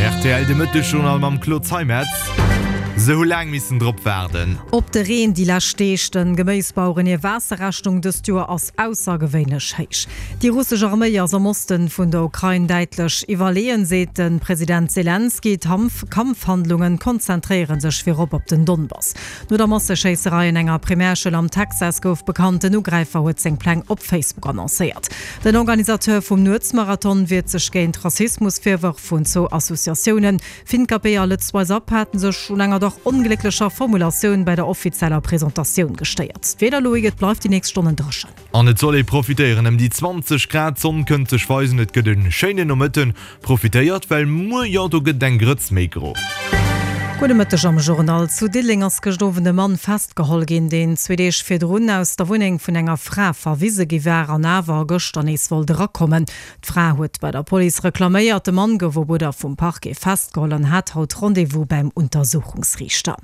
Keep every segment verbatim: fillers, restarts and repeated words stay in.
Rtl, de Mëttesjournal mam Claude Zeimetz. Se hu laang missen drop waarden. Op de Reen déi lescht Deeg. De Geméisbaueren hir Waasserrechnung dëst Joer ass aussergewéinlech héich. Déi russesch Arméi ass am Oste vun der Ukrain däitlech iwwerleeën, seet de President Selenskyj. D'Kampfhandlunge konzentréiere sech virop op den Donbass. No der Masseschéisserei an enger Primärschoul am Texas gouf bekannt, den Ugräifer huet seng Pläng op Facebook annoncéiert. Den Organisateur vum Nuetsmarathon wiert sech géint Rassismusvirwërf vun zwou Associatiounen. Finkapé a Lëtz Wise Up haten sech un enger dach onglécklecher Formulatioun bei der offizieller Presentatioun gestéiert. D'Wieder, Loïc, Et bleift déi nächst Stonnen dréchen. An et soll ee profitéieren, ëm déi zwanzeg Grad, d'Sonn kënnt sech weisen, et gëtt e schéinen Nomëtten. Profitéiert, well muer, jo, do gëtt et eng Grëtz méi gro. Gudde Mëtteg am Journal. Zu Diddeleng ass gëscht Owend e Mann festgeholl ginn, deen zwee Deeg virdrun aus der Wunneng vun enger Fra verwise gi war an awer gëschter nees wollt erakommen. D'Fra huet bei der Police reklaméiert. De Mann gouf op Uerder vum Parquet festgeholl an hat haut Rendez-vous beim Untersuchungsriichter.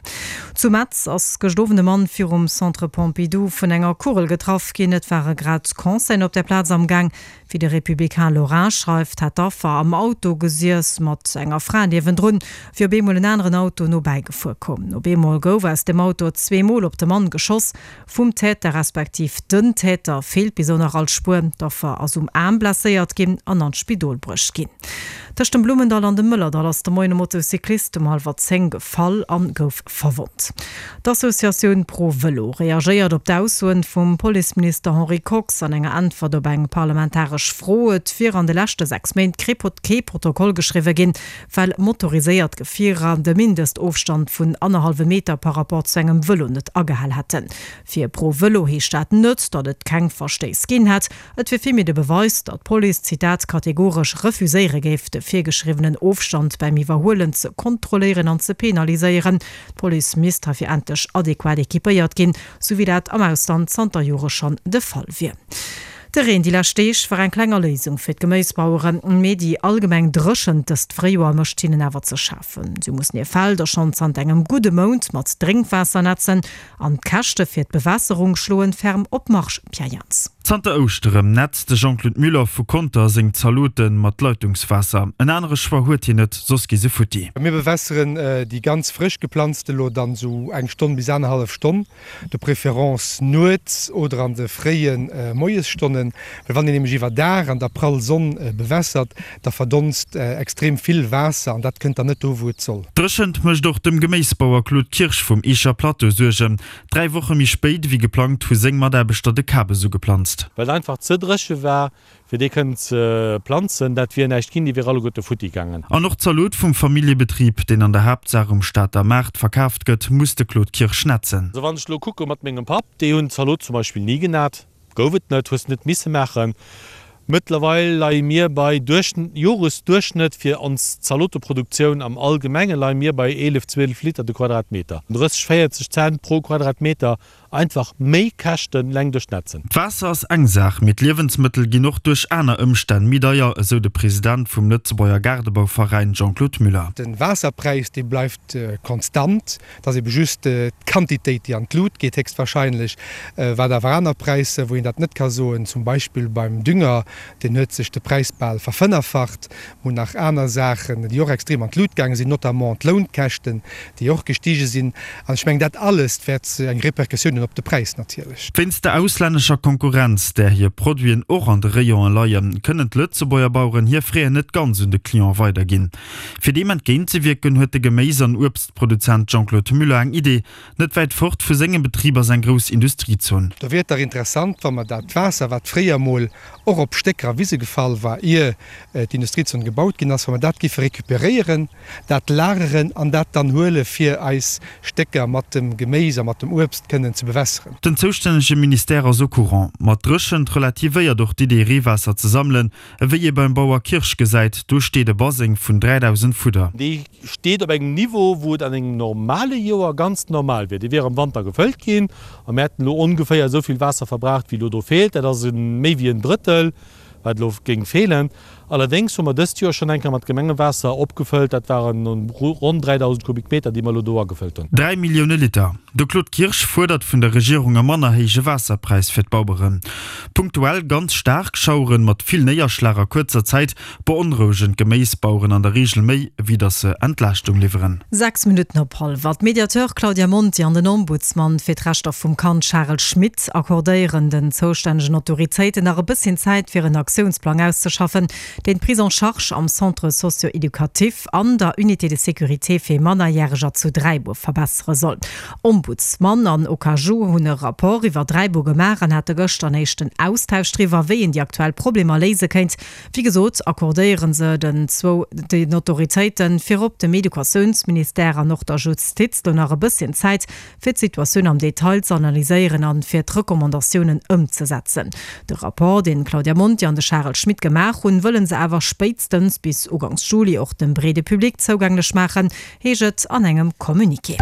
Zu Metz ass gëscht Owend e Mann virum Centre Pompidou vun enger Kugel getraff ginn. Et ware grad Concerten op der Plaz am Gaang. Wéi de Républicain Lorrain schreift, hätt d'Affer am Auto gesiess mat enger Fra niewendrun, wéi op eemol en aneren Auto nobäi gefuer koum. Op eemol gouf aus dem Auto zwee Mol op de Mann geschoss. Vum Täter respektiv den Täter feelt bis elo nach all Spuer. D'Affer ass um Aarm blesséiert ginn an an d'Spidol bruecht ginn. Tëscht dem Blummendall an dem Mëllerdall ass de Moien e Motocyclist um hallwer zéng gefall an gouf verwonnt. D'Associatioun Pro Vëlo reagéiert op d'Aussoen vum Policeminister Henri Kox an enger Äntwert op eng parlamentaresch Fro. Et wier an de leschte sechs Méint kee Protokoll geschriwwe ginn, well motoriséiert Gefierer de Mindestofstand vun annerhallwem Meter par rapport zu engem Vëlo net agehal hätten. Fir Pro Vëlo heescht dat net, datt et keng Verstéiss ginn hätt. Et wier villméi de Beweis, datt d'Police, Zitat, kategoresch refuséiere géif, de virgeschriwwenen Ofstand beim Iwwerhuelen ze kontrolléieren an ze penaliséieren. D'Police misst heifir endlech adequat equipéiert ginn, sou wéi dat am Ausland zanter Jore schonn de Fall wier. De Reen déi lescht Deeg war eng kleng Erléisung fir d'Geméisbaueren, mee déi allgemeng Dréchent dëst Fréijoer mécht hinnen awer ze schafen. Si mussen hir Felder schonn zanter engem gudde Mount mat Drénkwaasser nätzen an d'Käschte fir d'Bewässerung schloen ferm op d'Marge. Pierre Jans. Zanter Ouschterem nätzt de Jean-Claude Müller vu Conter seng Zalote mat Leitungswaasser. En anere Choix huet hien net, soss gi se futti. Mir bewässeren déi ganz frësch geplanzte lo dann esou eng Stonn bis anerhallef Stonn, de préférence nuets oder an de fréie Moiesstonnen, well wann een nämlech iwwer Dag an der prall Sonn bewässert, da verdonst extrem vill Waasser an dat kënnt dann net do wou et soll. D'Dréchent mécht och dem Geméisbauer Claude Kirsch vum Eecher Plateau Suergen. Dräi Woche méi spéit ewéi geplangt hu seng Mataarbechter de Kabes ugeplanzt. Well et einfach ze dréche war, fir déi kënnen ze planzen. Dat wier näischt ginn, déi wier alleguerte futti gaangen. An och d'Zalot vum Familljebetrib, deen an der Haaptsaach um Stater Maart verkaaft gëtt, muss de Claude Kirsch nätzen. Also wann ech elo kucke mat mengem Papp, déi hunn d'Zalot zum Beispill ni genat, gouf et net, hues net misse maachen. Mëttlerweil leie mir bei Joresduerchschnëtt fir ons Zaloteproduktioun am Allgemenge leie mir bei eelef, zwielef Liter de Quadratmeter, drësseg, véierzeg Cent pro Quadratmeter. Einfach méi Käschten leng duerch d'Netzen. D'Waasser ass eng Saach, mee d'Liewensmëttel ginn och duerch aner Ëmstänn méi deier, esou de President vum Lëtzebuerger Gaardebauveräin Jean-Claude Müller. De Waasserpräis, dee bleift konstant, et ass ebe just d'Quantitéit, déi an d'Lut geet héchstwahrscheinlech. Wat awer aner Präisser, wou een dat net ka soen, zum Beispill beim Dünger, deen huet sech de Präis bal verfënnerfacht. Mir hunn nach aner Saachen, déi och extrem an d'Lut gaange sinn, notamment d'Lounkäschten, déi och gestige sinn. An ech mengen, dat alles wäert eng Repercussioun hunn op de Präis natierlech. Wéinst der auslännescher Konkurrenz, där hir Produiten och an de Rayonen leien, kënnen d'Lëtzebuerger Baueren hir Fräen net ganz un de Client weiderginn. Fir deem entgéintzewierken, huet de Geméis an Uebstproduzent Jean-Claude Muller eng Idee, Net wäit fort vu sengem Betrib ass eng grouss Industriezon. Do wier et dach interessant, wa mer dat Waasser, wat fréier mol och op Stécker a Wise gefall war, ier d'Industriezon gebaut ginn ass, wa mer dat géife recuperéieren, dat lageren an dat dann huele fir eis Stécker mat dem Geméis a mat dem Uebst kënnen ze bewässeren. Den zoustännege Ministère ass au courant. Ma d'Dréchent relativéiert och d'Idee Reewaasser ze sammelen. Ewéi ee beim Bauer Kirsch gesäit, do steet e Baseng vun dräidausend Fudder. Dee steet op engem Niveau, wou et an engem normale Joer ganz normal wier. Dee wier am Wanter gefëllt ginn a mir hätten elo ongeféier esou vill Waasser verbraucht, wéi elo do feelt. Dat ass méi wéi en Drëttel, wat elo géing feelen. Allerdéngs hu mer dëst Joer schonn eng Kéier mat Gemengewaasser opgefëllt, dat waren ronn dräidausend Kubikmeter, déi mer elo do agefëllt hunn. Dräi Millioune Liter. De Claude Kirsch fuerdert vun der Regierung e manner héije Waasserpräis fir d'Baueren. Punktuell ganz staark Schaueren mat vill Néierschlag a kuerzer Zäit beonrouegen d'Geméisbaueren an der Reegel méi, wéi datt se Entlaaschtung liwweren. Sechs Minutten op hallwer. D'Mediateur Claudia Monti an den Ombudsman fir d'Rechter vum Kand Charel Schmit accordéieren den zoustännegen Autoritéiten nach e bësschen Zäit fir en Aktiounsplang auszeschaffen, deen d'Prise en charge am Centre socio-éducatif an der Unité de sécurité fir Mannerjäreger zu Dräibuer verbessere soll. Ombudsman an OKaJu hunn e Rapport iwwer Dräibuer gemaach an hate gëschter en éischten Austausch driwwer, wéi een déi aktuell Problemer léise kéint. Wéi gesot accordéiere se den zwou den Autoritéiten, virop dem Educatiounsministère an och der Justiz, do nach e bësschen Zäit, fir d'Situatioun am Detail ze analyséieren an fir d'Recommandatiounen ëmzesetzen. De Rapport, deen d'Claudia Monti an de Charel Schmit gemaach hunn, wëlle se awer spéitstens bis ugangs Juli och dem breede Public zougänglech maachen, heescht et an engem Communiqué.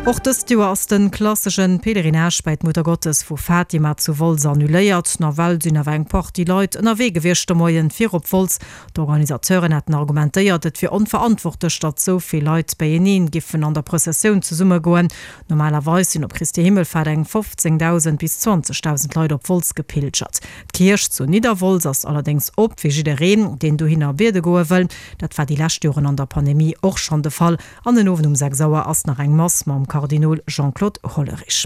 Och dëst Joer ass de klassesche Pèlerinage bei d'Muttergottes vu Fatima zu Wolz annuléiert. Nawell sinn awer eng Partie Leit ënnerwee gewiescht de Moien fir op Wolz. D'Organisateuren haten argumentéiert, et wier onverantwortlech, datt sou vill Leit beieneen giffen an der Prëssessioun zesummegoen. Normalerweis sinn op Christi Himmelfahrt eng fofzéngdausend bis zwanzegdausend Leit op Wolz gepilgert. D'Kierch zu Nidderwolz ass allerdéngs op fir jiddereen, deen dohinner biede goe wëll. Dat war déi lescht Joren an der Pandemie och schonn de Fall. An den Owend um sechs Auer ass nach eng Mass mam Kardinol Jean-Claude Hollerich.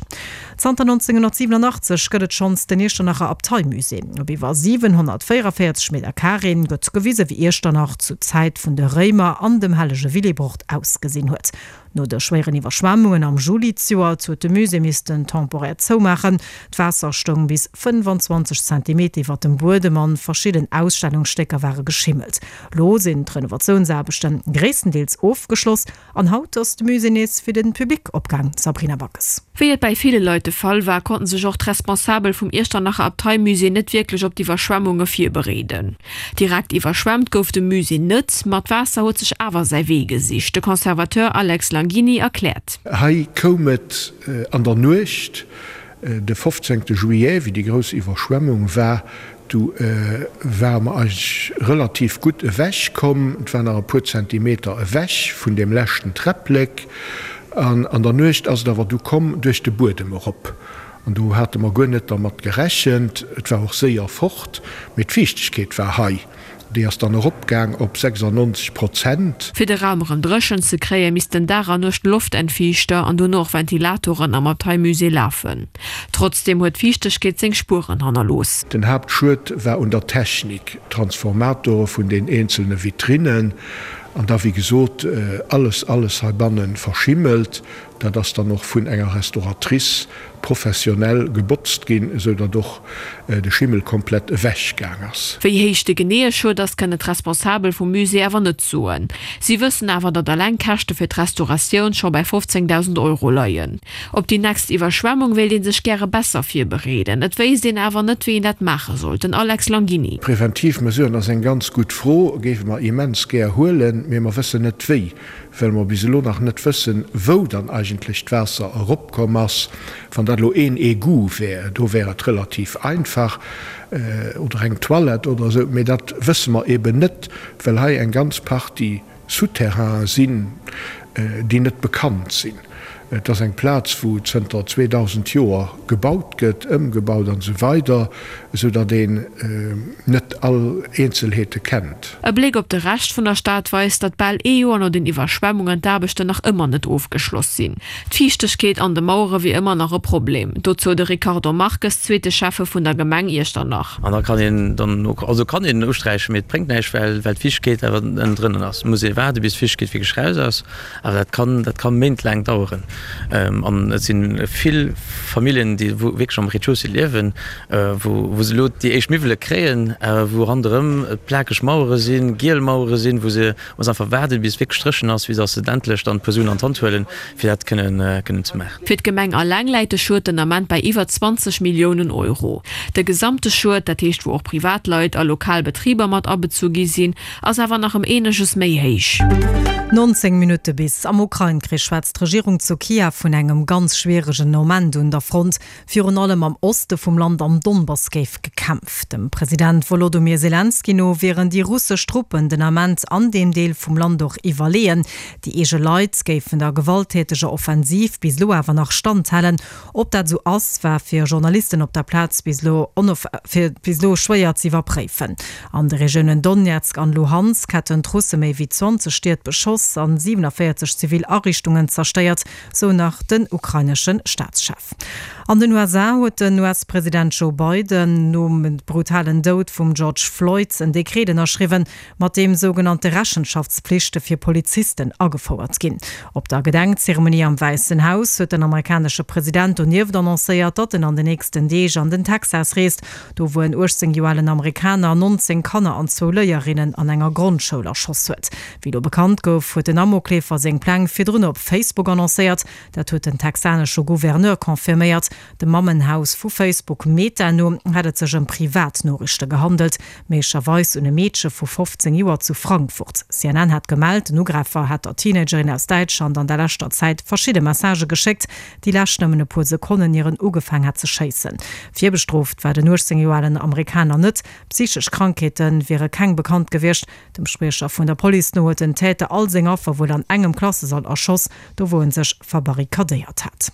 Zanter nonzénghunnertsiwenunachtzeg gëtt et schonns den Iechternacher Abteimusée. Op iwwer siwenhonnertvéierunvéierzeg Meter Carré gëtt gewise wéi Iechternach zu Zäit vun de Réimer an dem hellege Willibrord ausgesinn huet. No de schwéieren Iwwerschwemmungen am Juli zejoert huet de Musée missten temporär zoumaachen. D'Waasser stoung bis fënnfanzwanzeg Zentimeter iwwer dem Buedem an verschidden Ausstellungsstécker ware geschimmelt. Lo sinn d'Renovatiounsaarbechte gréisstendeels ofgeschloss an haut ass de Musée nees fir de Public opgaang. Sabrina Backes. Wéi et bäi ville Leit de Fall war, konnten sech och d'Responsabel vum Iechternacher Abteimusée net wierklech op d'Iwwerschwemmunge virbereeden. Direkt iwwerschwemmt gouf de Musée net, ma d'Waasser huet sech awer säi Wee gesicht. De Conservateur Alex Langini erkläert. Hei koum et an der Nuecht, de fofzéngte Juillet, wéi déi grouss Iwwerschwemmung war, du ware mer eigentlech relativ gutt ewech komm. Et war nach e puer Zentimeter ewech vun deem leschten Träpplek. An an der Nuecht ass et awer du komm duerch de Buedem erop. An do hate mer guer net dermat gerechent. Et war och séier fort, mee d'Fiichtegkeet war hei. Déi ass dann eropgaang op sechsundneunzeg Prozent. Fir de Raum erëm dréchen ze kréien, missten Dag an Nuecht Loftentfiichter an dono och Ventilatoren am Abteimusée lafen. Trotzdeem huet d'Fiichtegkeet seng Spueren hannerlooss. Den Haaptschued war un der Technik, Transformatore vun den eenzelne Vitrinnen an da wéi gesot alles, alles heibanne verschimmelt. Dat ass dann och vun enger Restauratrice professionell gebotzt ginn, esou datt och de Schimmel komplett ewech gaang ass. Wéi héich de geneeë Schued ass, kënnen d'Responsabel vum Musée awer net soen. Si wëssen awer, datt eleng d'Käschte fir d'Restauratioun scho bei fofzéngdausend Euro leien. Op déi nächst Iwwerschwemmung wéilt ee sech gäre besser virbereeden. Et wéisst een awer net, wéi een dat maache soll. Den Alex Langini. Preventiv Mesuren ass eng ganz gutt Fro, géife mer immens gär huelen, mee mer wëssen net wéi, well mer bis elo nach net wëssen, wou dann eigentlech d'Waasser eropkomm ass. Wann dat elo een Egout wär, do wär et relativ einfach, oder eng Toilette oder esou, mee dat wësse mer eben net, well hei eng ganz Partie Souterrainen sinn, déi net bekannt sinn. Et ass eng Plaz, wou zënter zweedausend Joer gebaut gëtt, ëmgebaut an esou weider, esou datt een net all Eenzelheete kennt. E Bléck op de Rescht vun der Stad weist, datt bal ee Joer no den Iwwerschwemmungen d'Aarbechten nach ëmmer net ofgeschloss sinn. D'Fiichtegkeet an de Mauere wier ëmmer nach e Problem. Dozou de Ricardo Marques, zweete Schäffe vun der Gemeng Iechternach. An da kann een dann och, also kann een usträichen, mee et bréngt näischt, well well d'Fiichtegkeet awer ënnendrënnen ass. Et muss ee waarde bis d'Fiichtegkeet wierklech raus ass. Awer dat kann, dat kann méintlaang daueren. An et si vill Familljen, déi wierklech am Rez-de-chaussée liewen, wou wou se elo déi éischt Miwwele kréien, awer wou ronderëm et plakeg Mauere sinn, giel Mauere sinn, wou se muss einfach waarden, bis et wierklech dréchen ass, fir datt se endlech dann d'puer Suen an d'Hand huelen, fir dat kënnen kënnen ze maachen. Fir d'Gemeng alleng läit de Schued den Ament bei iwwer zwanzeg Milliounen Euro. De gesamte Schued, dat heescht wou och Privatleit a lokal Betriber mat abezu gi sinn, ass awer nach ëm eeneges méi héich. Nonzéng Minutte bis. Am Ukrain-Krich schwätzt d'Regierung zu Kiew vun engem ganz schwieregen Moment un der Front. Virun allem am Oste vum Land am Donbass géif gekämpft. Dem President Wolodomyr Selenskyj no wieren déi russesch Truppen den Ament an deem Deel vum Land och iwwerleeën. Déi eege Leit géifen der gewalttäteger Offensiv bis elo awer nach standhalen. Ob dat esou ass, war fir Journalisten op der Plaz bis elo bis elo schwéier ze iwwerpréifen. An de Regiounen Donezk an Luhansk hätten d'Russe méi wéi zwanzeg Stied beschoss an siewenundvierzig zivil Ariichtungen zerstéiert, sou nach den ukrainesche Staatschef. An den U S A huet den U S-President Joe Biden nom brutalen Doud vum George Floyd en Dekret ënnerschriwwen, mat deem sougenannte Rechenschaftspflichte fir Polizisten agefouert ginn. Op der Gedenkzeremonie am Wäissen Haus huet den amerikanesche President donieft annoncéiert, datt en an den nächsten Deeg an den Texas reest, do wou en uechtzéng Joer alen Amerikaner nonzéng Kanner an zwou Léierinnen an enger Grondschoul erschoss huet. Wéi lo bekannt gouf, huet den Amokleefer seng Pläng virdrun op Facebook annoncéiert. Dat huet den texanesche Gouverneur confirméiert. Dem Mammenhaus vu Facebook Meta no hätt et sech ëm Privatnoriichte gehandelt, méiglecherweis un e Meedche vu fofzéng Joer zu Frankfurt. C N N hat gemellt, den Ugräifer hätt der Teenagerin aus Däitschland an der leschter Zäit verschidde Messagë geschéckt, déi lescht nëmmen e puer Sekonnen ieren ugefaang hat ze schéissen. Virbestrooft war den uechtzéng Joer alen Amerikaner net. Psychesch Krankheete wiere keng bekannt gewiescht. Dem Spriecher vun der Police no huet den Täter all seng Affer wuel an engem Klassesall erschoss, do wou en sech verbarrikadéiert hat.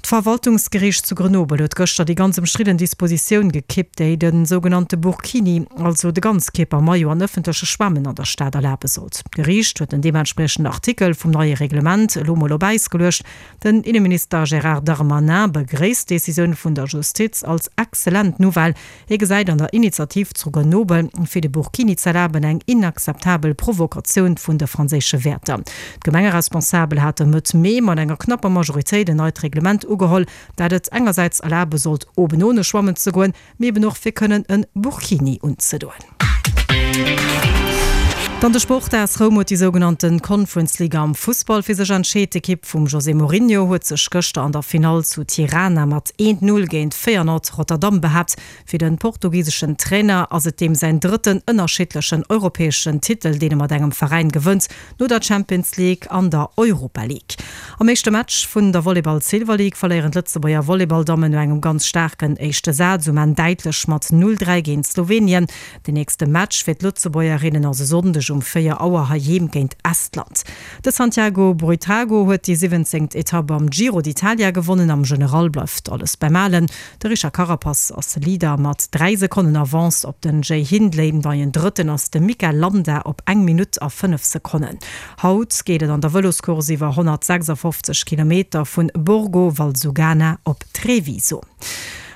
D'Verwaltungsgeriicht zu Grenoble huet gëschter déi ganz ëmstridden Dispositioun gekippt, déi de sougenannte Burkini, also de Ganzkierpermaillot an ëffentleche Schwämmen an der Stad erlabe sollt. D'Geriicht huet den deementspriechenden Artikel vum neie Reglement elo mol op Äis geluecht. Den Inneminister Gérard Darmanin begréisst d'Decisioun vun der Justiz als exzellent Nouvelle. Hie gesäit an der Initiativ zu Grenoble fir de Burkini z'erlaben eng inakzeptabel Provokatioun vun de franséische Wäerter. D'Gemengeresponsabel hate Mëtt Mee mat enger knapper Majoritéit en neit Reglement ugeholl, dat et engersäits erlabe sollt, oben ohne schwammen ze goen, mee eben och fir kënnen en Burkini unzedoen. Dann de Sport. A S Roum huet déi sougenannten Conference League am Fussball fir sech entscheet. D'Ekipp vum José Mourinho huet sech gëschter an der Finall zu Tirana mat eent Null géint Feyenoord Rotterdam behaapt. Fir den portugiseschen Trainer ass et deem säin drëtten ënnerschiddlechen europäeschen Titel, deen e mat engem Veräin gewënnt, no der Champions League an der Europa League. Am éischte Match vun der Volleyball Silver League verléieren d'Lëtzebuerger Volleyball-Dammen no engem ganz staarken éischte Saz um Enn däitlech mat null dräi géint Slowenien. Den nächste Match fir d'Lëtzebuergerinnen ass e Sonndeg um véier Auer heiheem géint Estland. De Santiago Buitrago huet déi siwwenzéngt Etapp am Giro d'Italia gewonnen. Am General bleift alles beim Alen. De Richard Carapaz ass Leader mat dräi Sekonnen Avance op den Jay Hindley. Neien Drëtten ass de Mikel Landa op eng Minutt a fënnef Sekonnen. Haut geet et an der Vëloscourse iwwer honnertsechsundfofzeg Kilometer vun Borgo Valsugana op Treviso.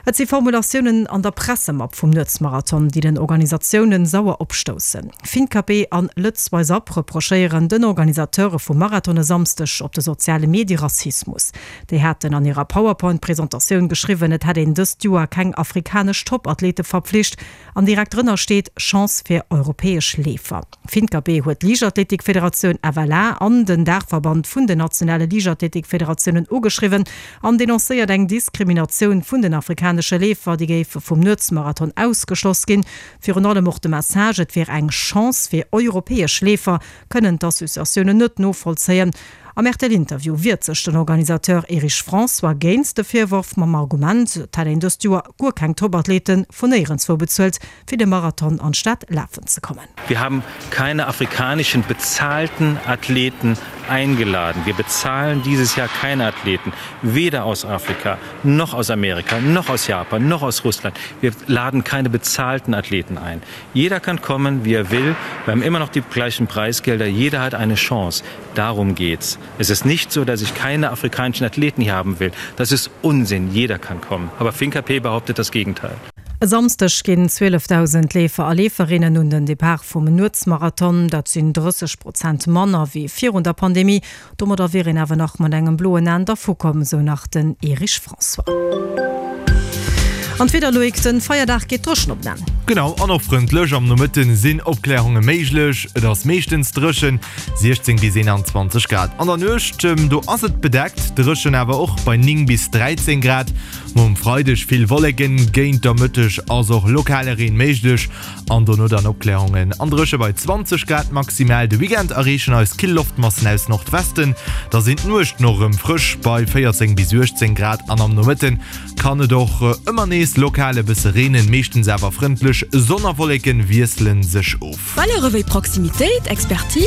Et si Formulatiounen an der Pressemapp vum Nuetsmarathon, déi den Organisatiounen sauer opstoussen. Finkapé an Lëtz Wise Up reprochéieren den Organisateure vum Marathon e Samschdeg op de soziale Medie Rassismus. Déi haten an hirer PowerPoint-Presentatioun geschriwwen, et hätt een dëst Joer keng afrikanesch Topathlete verpflicht an direkt drënner steet Chance fir europäesch Leefer. Finkapé huet d'Liichtathletikfederatioun F L A an den Daachverband vun den nationale Liichtathletikfederatiounen ugeschriwwen an denoncéiert eng Diskriminatioun vun den afrikanesche Leefer, déi géife vum Nuetsmarathon ausgeschloss ginn. Virun allem och de Message, et wier eng Chance fir europäesch Leefer, kënnen d'Associatiounen net novollzéien. Am R T L-Interview wiert sech den Organisateur Erich François géint de Virworf mam Argument, et hätt een dëst Joer guer keng Topathleten vun néierenswou bezuelt, fir de Marathon an d'Stad lafen ze kommen. Wir haben keine afrikanischen bezahlten Athleten eingeladen. Wir bezahlen dieses Jahr keine Athleten, weder aus Afrika, noch aus Amerika, noch aus Japan, noch aus Russland. Wir laden keine bezahlten Athleten ein. Jeder kann kommen, wie er will. Wir haben immer noch die gleichen Preisgelder. Jeder hat eine Chance. Darum geht's. Es ist nicht so, dass ich keine afrikanischen Athleten hier haben will. Das ist Unsinn. Jeder kann kommen. Aber Finkapé behauptet das Gegenteil. E Samschdeg ginn zwieleftausend Leefer a Leeferinnen un den Depart vum Nuetsmarathon. Dat sinn drësseg Prozent manner wéi virun der Pandemie. Domadder wier een awer nach mat engem bloen Enn dervukomm, sou nach den Erich François. An d'Wieder, Loïc, den Feierdag geet dréchen op den Enn. Genau, an och frëndlech. Am Nomëtten sinn Opklärunge méiglech, et ass meeschtens dréchen, siechzéng bis eenanzwanzeg Grad. An der Nuecht, do ass et bedeckt, dréchen awer och bei néng bis dräizéng Grad. Muer um Freideg vill Wolleken, géint der Mëtteg ass och lokale Reen méiglech an dono dann Opklärungen an dréche bei zwanzeg Grad maximal. De Weekend erreechen eis kill Loftmassen aus Nordwesten, da sinn d'Nuechten och erëm frësch bei véierzéng bis uechtzéng Grad an am Nomëtten kann et och ëmmer nees lokal e bësse reenen, meeschtens awer frëndlech. Sonn a Wolleken wiessele sech of. Valeure wéi Proximitéit, Expertise.